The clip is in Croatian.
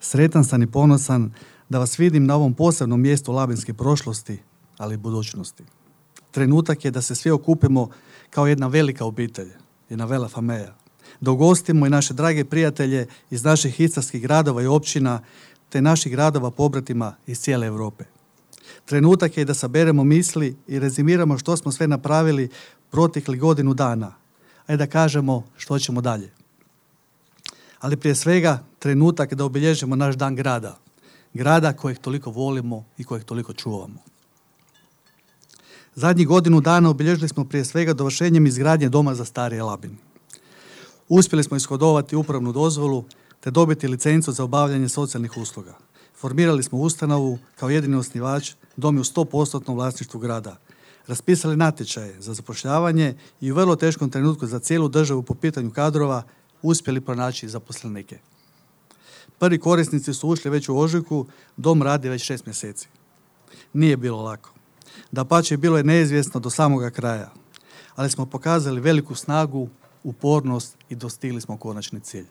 Sretan sam i ponosan da vas vidim na ovom posebnom mjestu labinske prošlosti, ali i budućnosti. Trenutak je da se svi okupimo kao jedna velika obitelj, jedna vela familia, da ugostimo i naše drage prijatelje iz naših istarskih gradova i općina, te naših gradova pobratima iz cijele Europe. Trenutak je da saberemo misli i rezimiramo što smo sve napravili proteklih godinu dana, a i da kažemo što ćemo dalje. Ali prije svega trenutak da obilježimo naš dan grada, grada kojeg toliko volimo i kojeg toliko čuvamo. Zadnjih godinu dana obilježili smo prije svega dovršenjem izgradnje Doma za starije Labin. Uspjeli smo ishodovati upravnu dozvolu te dobiti licencu za obavljanje socijalnih usluga. Formirali smo ustanovu kao jedini osnivač, dom je u 100% vlasništvu grada. Raspisali natječaje za zapošljavanje i u vrlo teškom trenutku za cijelu državu po pitanju kadrova uspjeli pronaći zaposlenike. Prvi korisnici su ušli već u ožujku, dom radi već 6 mjeseci. Nije bilo lako. Dapače, bilo je neizvjesno do samoga kraja, ali smo pokazali veliku snagu, upornost i dostigli smo konačni cilj.